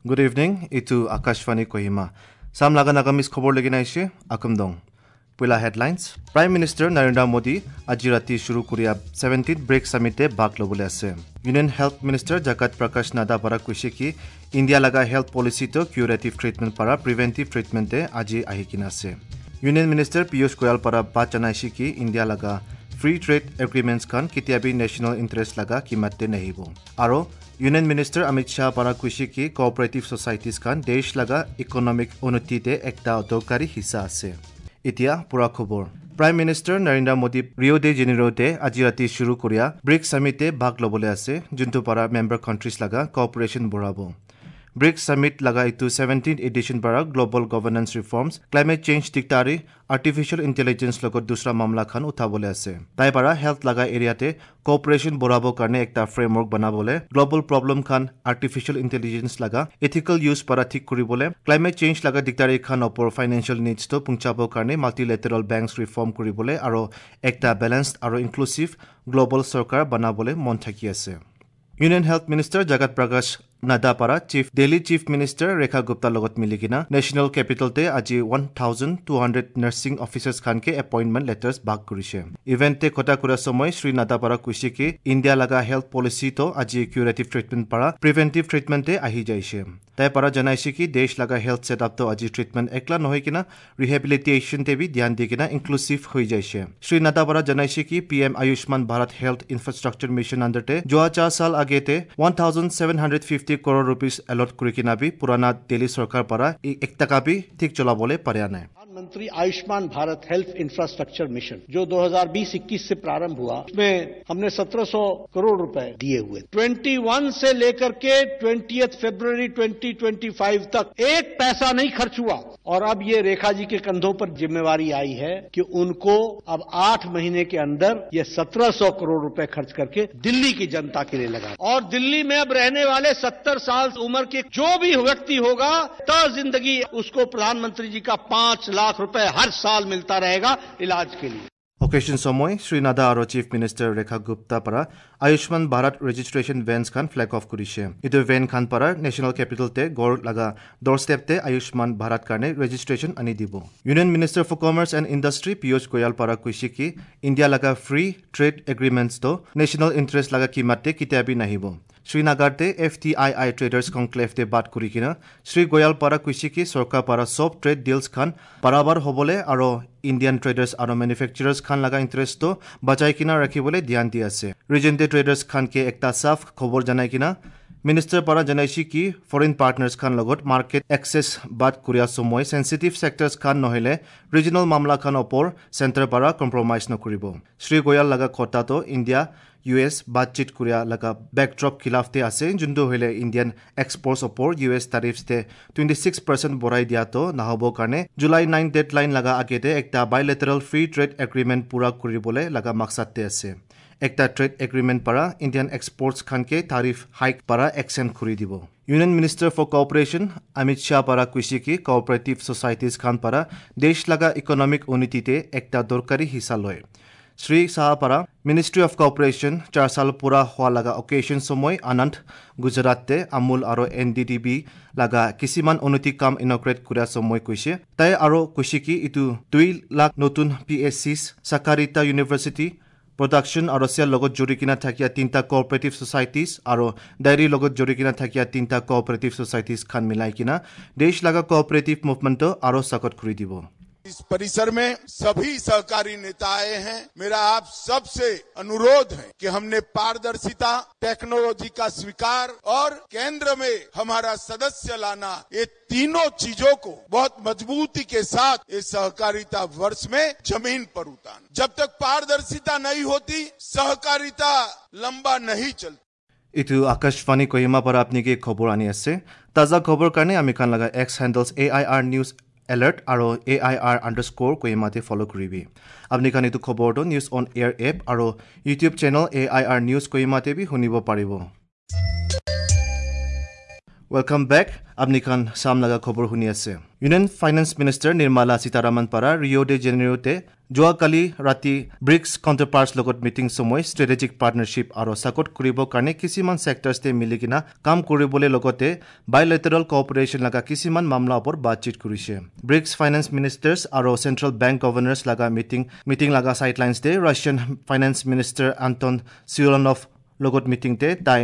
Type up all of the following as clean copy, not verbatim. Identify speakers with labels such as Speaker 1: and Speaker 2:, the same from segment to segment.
Speaker 1: Good evening, এইটো আকাশবাণী কহিমা। চাম লগা নাগামিজ খবৰ লাগি নাইছে আকমদং। পইলা headlines. Prime minister Narendra Modi আজি ৰাতি শুৰু কৰিয়া 17th bricks ছামিটে ভাগ ল'বলৈ আছে। ইউনিয়ন হেল্থ মিনিষ্টাৰ জগত প্ৰকাশ নাড্ডা পৰা কৈছে কি ইণ্ডিয়া লগা হেল্থ পলিচিটো কিউৰেটিভ ট্ৰিটমেণ্ট পৰা প্ৰিভেণ্টিভ ট্ৰিটমেণ্টে আজি আহি কিনে আছে। ইউনিয়ন মিনিষ্টাৰ পীয়ুষ গোয়াল পৰা বাত জনাইছে কি ইণ্ডিয়া লগা ফ্ৰী ট্ৰেড এগ্ৰিমেণ্টছ খান কেতিয়াবি নেশ্যনেল ইণ্টাৰেষ্ট লগা কিমাতে নাহিব। আৰু ইউনিয়ন মিনিষ্টাৰ অমিত শ্বাহ পৰা কৈছে কি কোঅপাৰেটিভ ছ'চাইটিজ খান দেশ লগা ইকনমিক উন্নতিতে একটা দৰকাৰী হিস্সা আছে। এতিয়া পুৰা খবৰ। Prime minister Narendra Modi Rio' de জেনেৰোতে আজি ৰাতি শুৰু কৰিয়া ব্ৰিক্স ছামিটে ভাগ ল'বলৈ আছে, যোনটো পৰা মেম্বাৰ কাণ্ট্ৰিজ লগা কোঅপাৰেশ্যন বঢ়াব। ব্ৰিক্স ছামিট লগা এইটো 17 এডিশ্যন পৰা global governance reforms, climate change দিগদাৰী, আৰ্টিফিচিয়েল ইণ্টেলিজেঞ্চ লগত দুসৰা মামলা খান উঠাবলৈ আছে। তাই পৰা হেল্থ লগা এৰিয়াতে কোঅপাৰেশ্যন বঢ়াবৰ কাৰণে একটা ফ্ৰেমৱৰ্ক বনাবলৈ, গ্ল'বেল প্ৰব্লেম খান আৰ্টিফিচিয়েল ইণ্টেলিজেঞ্চ লগা এথিকেল ইউজ পৰা ঠিক কৰিবলৈ, ক্লাইমেট চেঞ্জ লগা দিগদাৰী খান ওপৰ ফাইনেন্সিয়েল নিডছটো পুঞ্চাবৰ কাৰণে মাল্টিলেটাৰেল বেংকছ ৰিফৰ্ম কৰিবলৈ আৰু একটা বেলেঞ্চড আৰু ইনক্লুচিভ গ্ল'বেল চৰকাৰ বনাবলৈ মন থাকি আছে। ইউনিয়ন হেল্থ মিনিষ্টাৰ জগত প্ৰকাশ নাড্ডা পৰা চিফ দিল্লী চিফ মিনিষ্টাৰ ৰেখা গুপ্তাৰ লগত মিলি কিনা নেশ্যনেল কেপিটেলতে আজি 1200 নাৰ্ছিং অফিচাৰ্ছ খানকে এপইণ্টমেণ্ট লেটাৰ্ছ ভাগ কৰিছে। ইভেণ্টে কথা কৰাৰ সময় শ্ৰী নাড্ডা পৰা কৈছে কি ইণ্ডিয়া লগা হেল্থ পলিচিটো আজি কিউৰেটিভ ট্ৰিটমেণ্ট পৰা প্ৰিভেণ্টিভ ট্ৰিটমেণ্টে আহি যাইছে। তাই পৰা জনাইছে কি দেশ লগা হেল্থ ছেটআপটো আজি ট্ৰিটমেণ্ট একলা নহয় কিনা ৰিহেবিলিটেশ্যনতে বি ধ্যান দি কিনা ইনক্লুচিভ হৈ যাইছে। শ্ৰী নাড্ডা পৰা জনাইছে কি PM Ayushman Bharat health infrastructure mission আণ্ডাৰতে যোৱা 4 সাল আগেতে 1750 কৰোৰ ৰুপিজ এলট কৰি কিনা বি পুৰাণা দিল্লী চৰকাৰ পৰা এক টকা বি ঠিক চলাবলৈ পৰা নাই।
Speaker 2: प्रधानमंत्री Ayushman Bharat health infrastructure mission जो 2020-21 से प्रारंभ हुआ, उसमें हमने 1700 करोड़ रुपए दिए हुए। 21 से लेकर के 20 फरवरी 2025 तक एक पैसा नहीं खर्च हुआ। और अब ये रेखा जी के कंधों पर जिम्मेवारी आई है कि उनको अब 8 महीने के अंदर ये 1700 करोड़ रुपए खर्च करके दिल्ली की जनता के लिए लगा। और दिल्ली में अब रहने वाले 70 साल उम्र के जो भी व्यक्ति होगा, ता जिंदगी उसको प्रधानमंत्री जी का 5 लाख रुपए हर साल मिलता रहेगा इलाज के लिए।
Speaker 1: অকেশ্যন সময় শ্ৰী নাড্ডা আৰু চিফ মিনিষ্টাৰ ৰেখা গুপ্তা পৰা আয়ুষ্মান ভাৰত ৰেজিষ্ট্ৰেশ্যন ভেনছ খান ফ্লেগ অফ কৰিছে। এইটো ভেন খান পৰা নেশ্যনেল কেপিটেলতে গড় লগা ডৰ ষ্টেপতে আয়ুষ্মান ভাৰত কাৰণে ৰেজিষ্ট্ৰেশ্যন আনি দিব। Union minister for commerce and industry Piyush Goyal পৰা কৈছে কি ইণ্ডিয়া লগা ফ্ৰী ট্ৰেড এগ্ৰিমেণ্টছটো নেশ্যনেল ইণ্টাৰেষ্ট লগা কিমাতে কেতিয়াবি নাহিব। শ্ৰীনগৰতে FTII traders কনক্লেভতে বাদ কৰি কিনা শ্ৰী গোয়াল পৰা কৈছে কি চৰকাৰ পৰা চব ট্ৰেড ডিলছ খান বৰাবৰ হ'বলৈ আৰু ইণ্ডিয়ান ট্ৰেডাৰ্ছ আৰু মেনুফেকচাৰাৰ্ছ খান লগা ইণ্টাৰেষ্টটো বচাই কিনা ৰাখিবলৈ ধ্যান দি আছে। ৰিজেণ্টে ট্ৰেডাৰ্ছ খানকে একটা চাফ খবৰ জনাই কিনা মিনিষ্টাৰ পৰা জনাইছে কি ফৰেইন পাৰ্টনাৰ্ছ খান লগত মাৰ্কেট এক্সেছ বাদ কৰিয়া সময় চেঞ্চিটিভ ছেক্টৰ্ছ খান নহ'লে ৰিজনেল মামলা খান ওপৰ চেণ্টাৰ পৰা কম্প্ৰমাইজ নকৰিব। শ্ৰী গোয়াল লগা কথাটো ইণ্ডিয়া ইউ এছ বাতচিত কৰিয়া লগা বেকড্ৰপ খিলাফতে আছে, যোনটো হ'লে ইণ্ডিয়ান এক্সপৰ্টছ ওপৰ ইউ এছ টাৰিফতে 26% বঢ়াই দিয়াটো নহ'ব কাৰণে জুলাই 9 ডেডলাইন লগা আগেতে একটা বাইলেটাৰেল ফ্ৰী ট্ৰেড এগ্ৰিমেণ্ট পূৰা কৰিবলৈ লগা মাকসাদতে আছে। একটা ট্ৰেড এগ্ৰিমেণ্ট পৰা ইণ্ডিয়ান এক্সপৰ্টছ খানকে টাৰিফ হাইক পৰা এক্সেম্পট কৰি দিব। Union minister for cooperation Amit Shah পৰা কৈছে কি কোঅপাৰেটিভ ছ'চাইটিজ খান পৰা দেশ লগা ইকনমিক উন্নতিতে একটা দৰকাৰী হিস্সা লয়। শ্ৰী শ্বাহ পৰা মিনিষ্ট্ৰী অফ কোঅপাৰেশ্যন 4 সাল পূৰা হোৱা লগা অকেশ্যন সময় আনন্দ গুজৰাটতে আমুল আৰু NDDB লগা কিছুমান উন্নতি কাম ইনগ্ৰেট কৰাৰ সময় কৈছে। তাই আৰু কৈছে কি এইটো 2 লাখ নতুন PSCs, Sahkarita university production আৰু চেল লগত জড়ি কিনা থাকিয়া 3টা কোঅপাৰেটিভ ছ'চাইটিজ আৰু ডায়েৰীৰ লগত জড়ি কিনা থাকিয়া 3টা কোঅপাৰেটিভ ছ'চাইটিজ খান মিলাই কিনা দেশ লগা কোঅপাৰেটিভ মুভমেণ্টটো আৰু চাকত কৰি দিব।
Speaker 3: इस परिसर में सभी सहकारी नेता आए हैं। मेरा आप सबसे अनुरोध है कि हमने पारदर्शिता, टेक्नोलॉजी का स्वीकार और केंद्र में हमारा सदस्य लाना, ये तीनों चीजों को बहुत मजबूती के साथ इस सहकारिता वर्ष में जमीन पर उतारना। जब तक पारदर्शिता नहीं होती, सहकारिता लंबा नहीं चलती।
Speaker 1: এইটো আকাশবাণী কহিমা পৰা আপুনি খবৰ আনি আছে। তাজা খবৰ কাৰণে আমি খান লগা x handles AIR news alert আৰু AIR_ কহিমাতে ফ'ল' কৰিবি। আপুনি খান এইটো খবৰটো নিউজ অন এয়াৰ এপ আৰু ইউটিউব চেনেল AIR news কহিমাতে বি শুনিব পাৰিব। Welcome back. আপুনি খান চাম লগা খবৰ শুনি আছে। Union finance minister Nirmala Sitharaman পৰা ৰিঅ' ডে জেনেৰোতে যোৱাকালি ৰাতি ব্ৰিক্স কাউণ্টাৰপাৰ্টছ লগত মিটিং সময় ষ্ট্ৰেটেজিক পাৰ্টনাৰশ্বিপ আৰু ছাপোৰ্ট কৰিবৰ কাৰণে কিছুমান ছেক্টৰ্ছতে মিলি কিনা কাম কৰিবলৈ লগতে বাইলেটাৰেল কোঅপাৰেশ্যন লগা কিছুমান মামলা ওপৰত বাতচিত কৰিছে। ব্ৰিক্স ফাইনেন্স মিনিষ্টাৰ্ছ আৰু চেণ্ট্ৰেল বেংক গভৰ্ণৰ্ছ লগা মিটিং লগা চাইডলাইনছতে Russian finance minister Anton Siluanov লগত মিটিংতে তাই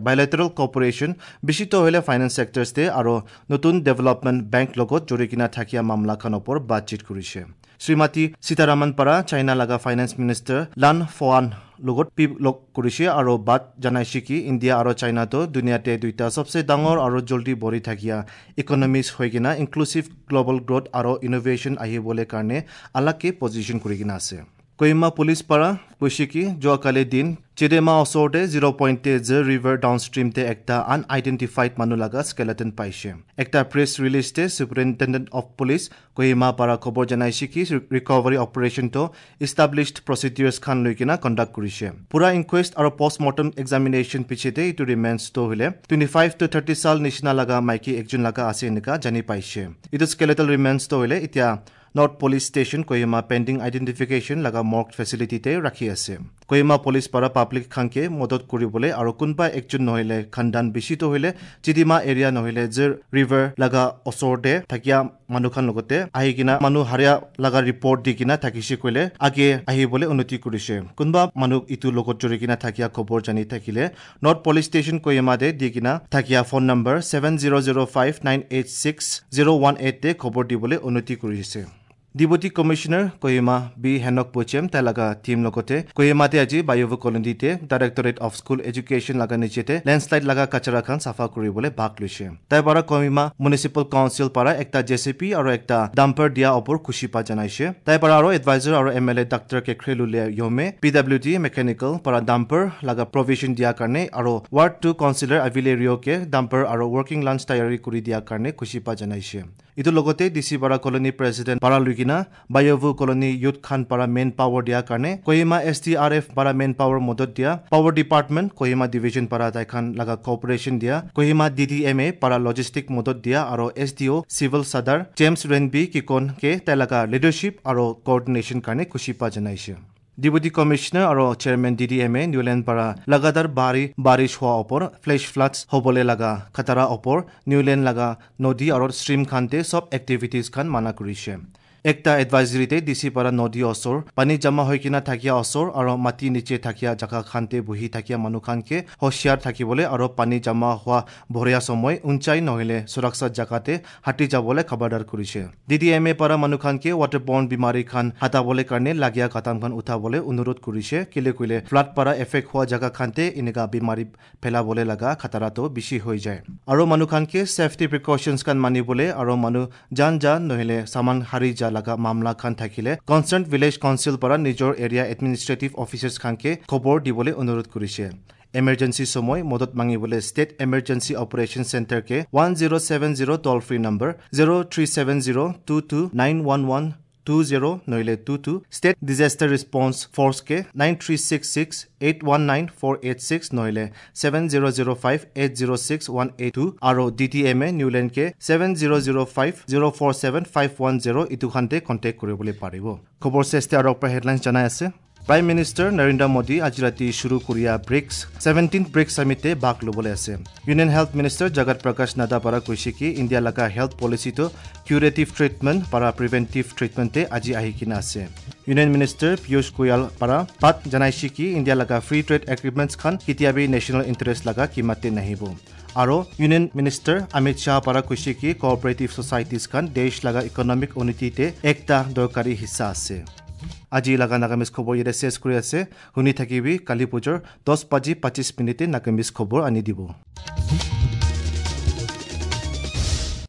Speaker 1: বাইলেটাৰেল কোঅপাৰেশ্যন বেছিতো হ'লে ফাইনেন্স ছেক্টৰ্ছতে আৰু নতুন ডেভেলপমেণ্ট বেংক লগত জড়ি কিনা থাকিয়া মামলাখন ওপৰত বাতচিত কৰিছে। শ্ৰীমতী সীতাৰামন পৰা চাইনা লগা ফাইনেন্স মিনিষ্টাৰ লান ফোৱান লগত পি লগ কৰিছে আৰু বাট জনাইছে কি ইণ্ডিয়া আৰু চাইনাটো দুনিয়াতে দুইটা চবচে ডাঙৰ আৰু জলদি বঢ়ি থাকিয়া ইকনমিজ হৈ কিনা ইনক্লুচিভ গ্ল'বেল গ্ৰ'থ আৰু ইন'ভেশ্যন আহিবলৈ কাৰণে আলাগকে পজিশ্যন কৰি কিনা আছে। কহিমা পুলিচ পৰা কৈছে কি যোৱাকালি দিন চিডেমা ওচৰতে 0.তে জে ৰিভাৰ ডাউনষ্ট্ৰীমতে একটা আনআইডেণ্টিফাইড মানুহ লগা স্কেলেটন পাইছে। একটা প্ৰেছ ৰিলিজতে ছুপাৰিণ্টেণ্ডেণ্ট অফ পুলিচ কহিমা পৰা খবৰ জনাইছে কি ৰিকভাৰী অপাৰেশ্যনটো ইষ্টাব্লিছড প্ৰচিডিউৰ্ছ খান লৈ কিনা কণ্ডাক্ট কৰিছে। পুৰা ইনকুৱেষ্ট আৰু পষ্টমৰ্টম এক্সামিনেশ্যন পিছতে এইটো ৰিমেইনছটো হ'লে 25 to 30 চাল নিচিনা লগা মাইকী একজন লগা আছে এনেকা জানি পাইছে। এইটো স্কেলেটল ৰিমেইনছটো হ'লে এতিয়া North Police Station Kohima pending identification লগা মৰ্গ ফেচিলিটিতে ৰাখি আছে। কহিমা পুলিচ পৰা পাব্লিক খানকে মদত কৰিবলৈ আৰু কোনোবা একজন নহ'লে খানদান বেছিতো হ'লে চিডিমা এৰিয়া নহ'লে যে ৰিভাৰ লগা ওচৰতে থাকিয়া মানুহখান লগতে আহি কিনা মানুহ হাৰিয়া লগা ৰিপৰ্ট দি কিনা থাকিছে কৈলে আগে আহিবলৈ উন্নতি কৰিছে। কোনোবা মানুহ ইটোৰ লগত জড়ি কিনা থাকিয়া খবৰ জানি থাকিলে নৰ্থ পুলিচ ষ্টেচন কহিমাতে দি কিনা থাকিয়া ফোন নম্বৰ 7005986018 খবৰ দিবলৈ উন্নতি কৰিছে। Deputy commissioner Kohima B Henok Pochem তাই লগা টিম লগতে কহিমাতে আজি বায়ুভ কলনীতে ডাইৰেক্টৰেট অফ স্কুল এডুকেশ্যন লগা নিচেতে লেণ্ডশ্লাইড লগা কাচৰা খান চাফা কৰিবলৈ ভাগ লৈছে। তাই পৰা কহিমা মিউনিচিপেল কাউন্সিল পৰা একটা জেচিপি আৰু একটা ডাম্পাৰ দিয়া ওপৰ খুচি পা জনাইছে। তাই পৰা আৰু এডভাইজাৰ আৰু এম এল এ ডাক্তৰ কেখ্ৰেলুলিয়া য়মে পি ডাব্লিউ ডি মেকানিকেল পৰা ডাম্পাৰ লগা প্ৰভিজন দিয়াৰ কাৰণে আৰু ৱাৰ্ড 2 কাউন্সিলৰ আভিলে ৰিঅ'কে ডাম্পাৰ আৰু ৱৰ্কিং লাঞ্চ তৈয়াৰী কৰি দিয়াৰ কাৰণে খুচি পা জনাইছে। ইটোৰ লগতে ডি চি পাৰা কলনী প্ৰেচিডেণ্ট পাৰা লুইকিনা বায়ুভু কলনী ইউথ খান পাৰা মেন পাৱাৰ দিয়াৰ কাৰণে Kohima S D R F পাৰা মেন পাৱাৰ মদত দিয়া পাৱাৰ ডিপাৰ্টমেণ্ট কহিমা ডিভিজন পাৰা তাইখান লগা কোঅপাৰেশ্যন দিয়া Kohima D D M A পাৰা লজিষ্টিক মদত দিয়া আৰু S D O' civil Sadar James Renbi Kikon কে তাই লগা লিডাৰশ্বিপ আৰু কোঅৰ্ডিনেশ্যন কাৰণে খুচি পা জনাইছে। ডিপুটি কমিশনাৰ আৰু chairman D D M A Niuland পৰা লাগাতাৰ বাৰী বাৰিছ হোৱা ওপৰ ফ্লেছ ফ্লাডছ হ'বলৈ লগা খাতাৰা ওপৰ নিউলেণ্ড লগা নদী আৰু ষ্ট্ৰীম খানতে চব এক্টিভিটিজ খান মানা কৰিছে। একটা এডভাইজৰীতে ডি চি পৰা নদী ওচৰ পানী জমা হৈ কিনা থাকিয়া ওচৰ আৰু মাটি নিচে থাকিয়া জাগা খানতে বহি থাকিয়া মানুহ খানকে হুঁচিয়াৰ থাকিবলৈ আৰু পানী জমা হোৱা ভৰিয়া সময় উঞ্চাই নহ'লে সুৰক্ষা জাগাতে হাতী যাবলৈ খবৰদাৰ কৰিছে। ডি ডি এম এ পৰা মানুহ খানকে ৱাটাৰ বৰ্ণ বিমাৰী খান হাতাবলৈ কাৰণে লাগীয়া কাটামখন উঠাবলৈ অনুৰোধ কৰিছে। কেলে কৈলে ফ্লাড পৰা এফেক্ট হোৱা জাগা খানতে এনেকা বিমাৰী ফেলাবলৈ লগা খাতাৰাটো বেছি হৈ যায় আৰু মানুহ খানকে ছেফটি প্ৰিকশ্যনছ খান মানিবলৈ আৰু মানুহ জান জান নহ'লে চামান হাৰি যা লগা মামলা খান থাকিলে কনচাৰ্ণ ভিলেজ কাউন্সিল পৰা নিজৰ এৰিয়া এডমিনিষ্ট্ৰেটিভ অফিচাৰ্ছ খানকে খবৰ দিবলৈ অনুৰোধ কৰিছে। এমাৰ্জেঞ্চি সময় মদত মাঙিবলৈ ষ্টেট এমাৰ্জেঞ্চি অপাৰেশ্যন চেণ্টাৰকে 1070 toll free number 0370 229 1120 নহ'লে 22, ষ্টেট ডিজাষ্টাৰ ৰেছপন্স ফ'ৰ্চকে 9366819486 নহ'লে 7005806182 আৰু ডি ডি এম এ নিউলেণ্ডকে 7005047510 ইটোখানতে কণ্টেক্ট কৰিবলৈ পাৰিব। খবৰ চেষ্টা আৰু হেডলাইনছ জনাই আছে। প্ৰাইম মিনিষ্টাৰ নৰেন্দ্ৰ মোদী আজি ৰাতি শুৰু কৰিয়া ব্ৰিক্স 17 ব্ৰিক্স ছামিটে ভাগ ল'বলৈ আছে। ইউনিয়ন হেল্থ মিনিষ্টাৰ জগত প্ৰকাশ নাড্ডা পৰা কৈছে কি ইণ্ডিয়া লগা হেল্থ পলিচিটো কিউৰেটিভ ট্ৰিটমেণ্ট পৰা প্ৰিভেণ্টিভ ট্ৰিটমেণ্টে আজি আহি কিনে আছে। ইউনিয়ন মিনিষ্টাৰ পীয়ুষ গোয়াল পৰা পাত জনাইছে কি ইণ্ডিয়া লগা ফ্ৰী ট্ৰেড এগ্ৰিমেণ্টছ খান কেতিয়াবি নেশ্যনেল ইণ্টাৰেষ্ট লগা কিমাতে নাহিব। আৰু ইউনিয়ন মিনিষ্টাৰ অমিত শ্বাহ পৰা কৈছে কি কোঅপাৰেটিভ ছ'চাইটিজ খান দেশ লগা ইকনমিক উন্নতিতে একটা দৰকাৰী হিস্সা আছে। আজি লগা নাগামিজ খবৰ ইয়াতে শেষ কৰি আছে। শুনি থাকিবি কালী পূজাৰ 10:25 নাগামিজ খবৰ আনি দিব।